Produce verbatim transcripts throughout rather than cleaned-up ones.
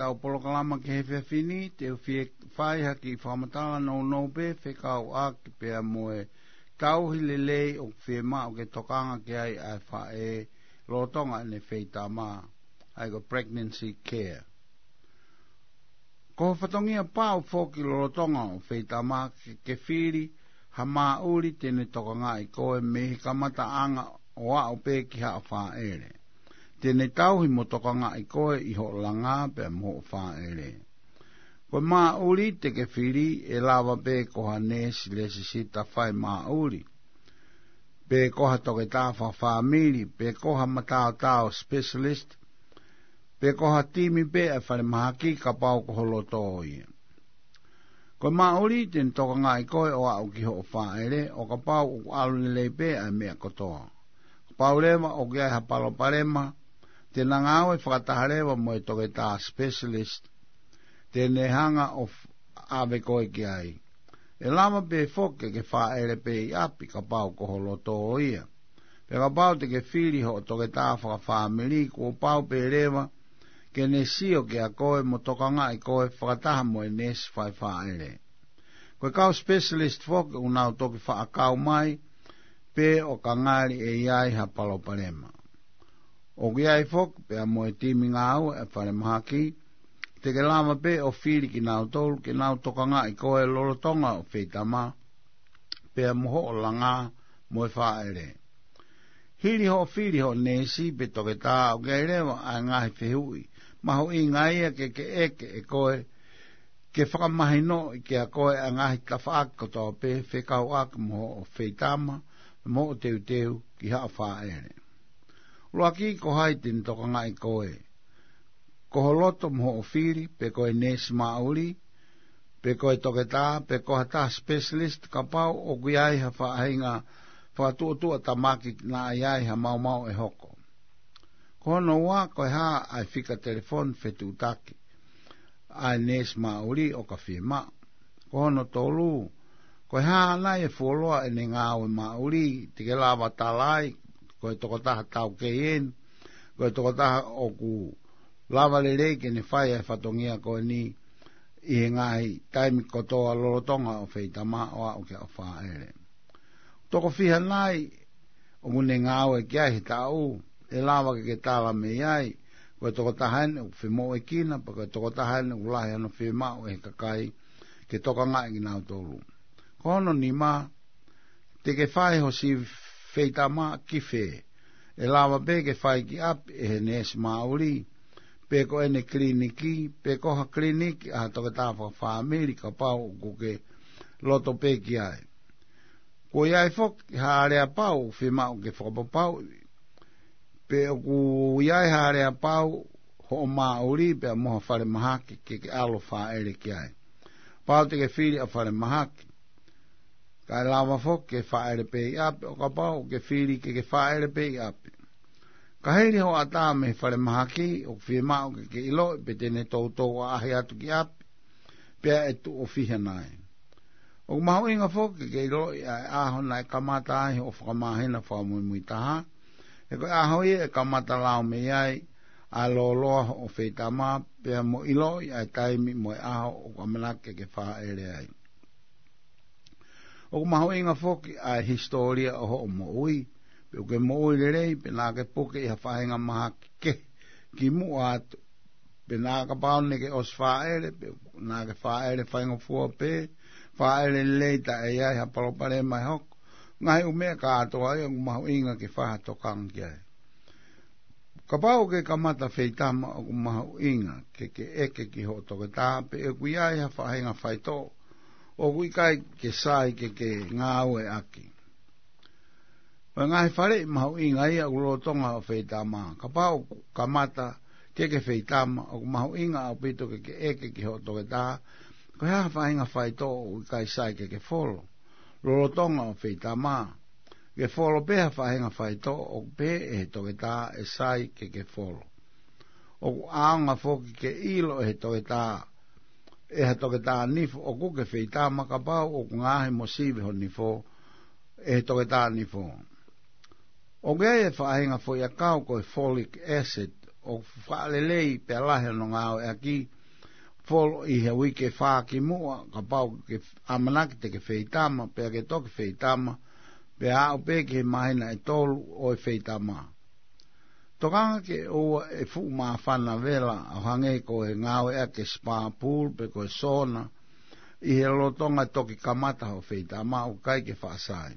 ʻetau polokalama ki he efiafi ni, te u fie fai ha kiʻi fakamatala nounou pē fekauʻaki pea mo e tauhi lelei ʻoku fiemaʻu ke tokanga ki ai ʻa e faʻē lolotonga ʻene feitama, ʻa ia ko e pregnancy care. Ko e fatongia pau foki lolotonga ʻo e feitama ke, ke fili ha maʻuli te ne tokangaʻi koe mei he kamataʻanga ʻo aʻu pē ki haʻo fāʻele. Te ne tauhi mo tokangaʻi koe ʻi hoʻo langa pea mo hoʻo fāʻele. Ko e maʻuli te ke fili ʻe lava pē ko ha neesi lesisita fai maʻuli, pe ko ha toketā fakafāmili, pe ko ha mataotao specialist, pe ko ha timi pē ʻa e falemahaki kapau ko ho loto ia. Ko e maʻuli te ne tokangaʻi koe ʻo aʻu ki hoʻo fāʻele, ʻo kapau ʻoku ʻalu lelei pē ʻa e meʻa kotoa. Kapau leva ʻoku ʻi ai ha palopalema, te na ngāue fakataha leva mo e toketā specialist te ne hanga ʻo f-, ʻave koe ki ai. ʻE lava pē foki ke ke fāʻele pē ʻi ʻapi kapau ko ho loto ia. Pea kapau te ke fili hoʻo toketā fakafāmili, kuo pau pē leva ke ne sio kiate koe mo tokangaʻi koe fakataha mo e neesi fai fāʻele. Ko e kau specialist foki ʻoku nau toki faʻa kau mai pē ʻo ka ngali ʻe ʻi ai ha palopalema. ʻOku ʻi ai foki pea mo e timi ngāue ʻa e falemahaki, te ke lava pē ʻo fili kinautolu ke nau tokangaʻi koe lolotonga ʻo e feitama, pea mo hoʻo langa mo e fāʻele. Hili hoʻo fili hoʻo neesi pe toketā, ʻoku ʻi ai leva ʻa e ngaahi fehuʻi mahuʻinga ia ke ke ʻeke ʻe koe, ke fakamahinoʻi kiate koe ʻa e ngaahi tafaʻaki kotoa pē fekauʻaki mo hoʻo feitama, mo hoʻo teuteu ki haʻo fāʻele. ʻUluaki, ko hai te ne tokangaʻi koe? Ko ho loto mo hoʻo fili, pe ko e neesi maʻuli, pe ko e toketā, pe ko ha taha specialist, kapau ʻoku ʻi ai ha faʻahinga fakatuʻotuʻa tamaki naʻa ʻi ai ha maumau ʻe hoko. Ko hono ua, ko e hā ʻa e fika telefoni fetuʻutaki ʻa e neesi maʻuli ʻo ka fiemaʻu? Ko hono tolu, ko e hā nai e fuoloa ʻene ngāue maʻuli, te ke lava tala ai, ko e tokotaha taukei eni, ko e tokotaha ʻoku lava lelei ke ne fai ʻa e fatongia ko eni ʻi he ngaahi taimi kotoa lolotonga ʻo e feitama ʻo aʻu ki haʻo fāʻele. Toko fiha nai ʻoku ne ngāue ki ai he taʻu, ʻe lava ke ke tala mei ai, ko e tokotaha eni ʻoku femoʻuekina, pe ko e tokotaha eni ʻoku lahi hono fiemaʻu ʻe he kakai ke tokangaʻi kinautolu. Ko hono nima, te ke fai ho sivi feitama ki fē? ʻE lava pē ke fai ki ʻapi ʻe he neesi maʻuli, pe ko ʻene kiliniki, pe ko ha kiliniki ʻa ha toketā fakafāmili kapau ʻoku ke loto pē ki ai. Kuo ʻi ai foki ha aleapau ʻoku fiemaʻu ke fakapapauʻi pe ʻoku ʻi ai ha aleapau hoʻo maʻuli pea mo ha falemahaki ke ke ʻalu ʻo fāʻele ki ai. Pau te ke fili ʻa e falemahaki, kae lava foki ke fāʻele pē ʻi ʻapi, ʻo kapau ʻoku ke fili ke ke fāʻele pē ʻi ʻapi. Ka hili hoʻo ʻatā mei he falemahaki, ʻoku fiemaʻu ke ke ʻiloʻi pe te ne toutou ʻaʻahi atu ki ʻapi, pea ʻe tuʻo fiha nai. ʻOku mahuʻinga foki ke ke ʻiloʻi ʻa e ʻaho naʻe kamata ai hoʻo fakamāhina fakamuimui taha, he ko e ʻaho ia ʻe kamata lau mei ai ʻa e lōloa hoʻo feitama, pea mo ʻiloʻi ʻa e taimi mo e ʻaho ʻoku ʻamanaki ke ke fāʻele ai. ʻOku mahuʻinga foki ʻa e hisitōlia ʻo hoʻo moʻui, pe ʻoku ke moʻui lelei, pe naʻa ke puke ʻi ha faʻahinga mahaki kehe kimuʻa atu, pe naʻa kapau naʻa ke ʻosi fāʻele, pe naʻa ke fāʻele faingofua pē, fāʻele lelei taʻe ʻi ai ha palopalema ʻe hoko. Ngaahi ʻū meʻa kātoa ia ʻoku mahuʻinga ke fai ha tokanga ki ai. Kapau ʻoku ke kamata feitama, ʻoku mahuʻinga ke ke ʻeke ki hoʻo toketā pe ʻoku ʻi ai ha faʻahinga faitoʻo ʻoku ʻikai ke sai ke ke ngāueʻaki. Ko e ngaahi faleʻi mahuʻinga ia ʻoku lolotonga ʻo e feitama. Kapau ʻoku kamata ke ke feitama, ʻoku mahuʻinga ʻaupito ke ke ʻeke ki hoʻo toketā, ko e hā ha faʻahinga faitoʻo ʻoku ʻikai sai ke ke folo lolotonga ʻo e feitama. Ke folo pē ha faʻahinga faitoʻo ʻoku pehē ʻe he toketā ʻe sai ke ke folo. ʻOku ʻaonga foki ke ʻilo ʻe he toketā, ʻe ha toketā nifo ʻoku ke feitama, kapau ʻoku ngaohi mo sivi ho nifo ʻe he toketā nifo. ʻOku ʻi ai e faʻahinga foʻiʻakau ko e folic acid, ʻoku fakalelei pea lahi hono ngāueʻaki, folo ʻi he uike fā kimuʻa, kapau ke ʻamanaki te ke feitama, pea ke toki feitama, pea aʻu pē ki he māhina ʻe tolu ʻo e feitama. Tokanga ke ʻoua ʻe fuʻu māfana vela ʻo hangē ko e ngāueʻaki e spa pool pe ko e sauna, ʻi he lolotonga toki kamata hoʻo feitama ʻoku ʻikai ke faʻa sai.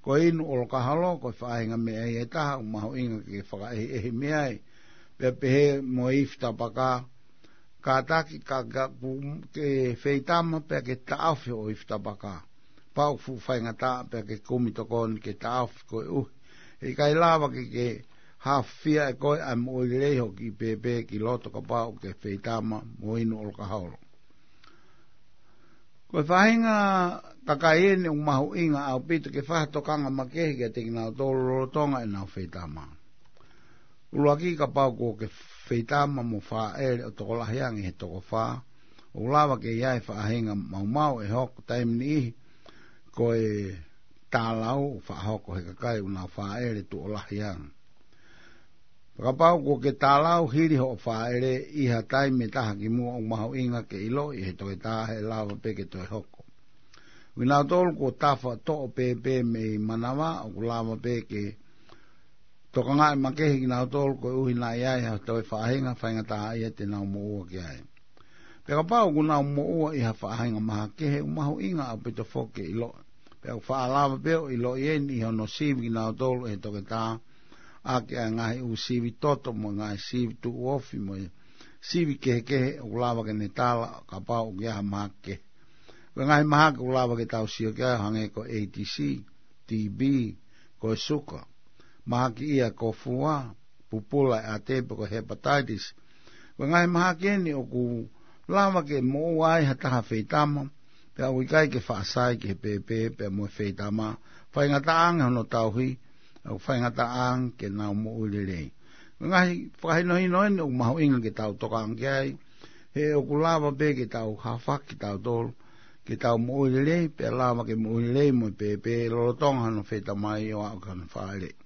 Ko e inu ʻolokaholo, ko e faʻahinga meʻa ia ʻe taha ʻoku mahuʻinga ke fakaʻehiʻehi mei ai, pea pehē mo e ifi tapaka, kātaki ka, ka, ku, ke feitama pea ke taʻofi hoʻo ifi tapaka. Pau ʻoku fuʻu faingataʻa pea ke kumi tokoni ke taʻofi koeʻuhi he ʻikai lava ke, ke hafia ʻe koe ʻa e moʻui lelei hoʻo kiʻi pēpē ki loto kapau ʻoku ke feitama mo inu ʻolokaholo. Ko e faʻahinga kakai eni ʻoku mahuʻinga ʻaupito ke fai ha tokanga makehe kiate kinautolu lolotonga ʻenau feitama. ʻUluaki, kapau kuo ke feitama mo fāʻele ʻo tokolahi ange he toko fā, ʻoku lava ke ʻi ai e faʻahinga maumau ʻe hoko taimi niʻihi ko e tālau ʻoku faʻa hoko he kakai ʻoku nau fāʻele tuʻo lahi ange. Kapau kuo ke tālau hili hoʻo fāʻele ʻi ha taimi ʻe taha kimuʻa, ʻoku mahuʻinga ke ʻiloʻi ʻe he toketā he ʻe lava pē ke toe hoko. Kinautolu kuo tafa toʻo pēpē mei manava, ʻoku lava pē ke tokangaʻi makehe kinautolu koeʻuhi naʻe ʻi ai ha toe faʻahinga faingataʻaʻia te nau moʻua ki ai. Pea kapau ʻoku nau moʻua ʻi ha faʻahinga mahakehe, ʻoku mahuʻinga ʻaupito foki ke ʻiloʻi. Pea ʻoku faʻa lava pē ʻo ʻiloʻi eni ʻi hono sivi kinautolu ʻe he toketā ʻaki ʻa e ngaahi ʻū sivi toto mo e ngaahi sivi tuʻuofi mo e sivi kehekehe ʻoku lava ke ne tala kapau ʻoku ʻi ai ha mahaki kehe. Ko e ngaahi mahaki ʻoku lava ke tau sio ki ai ʻo hangē ko e A D C, T B, ko e suka, mahaki ia ko e fua, pupula e ʻate pe ko e hepatitis. Ko e ngaahi mahaki eni ʻoku lava ke moʻua ai ha taha feitama, pea ʻoku ʻikai ke faʻa sai ki he pēpē pea mo e feitama, faingataʻa ange hono tauhi, ʻoku faingataʻa ange ke nau moʻui lelei. Ko e ngaahi fakahinohino eni ʻoku mahuʻinga ke tau tokanga ki ai, he ʻoku lava pē ke tau hafaki tautolu ke tau moʻui lelei, pea lava ke moʻui lelei mo e pēpē lolotonga hono feitamaʻi ʻo aʻu ki hono fāʻeleʻi.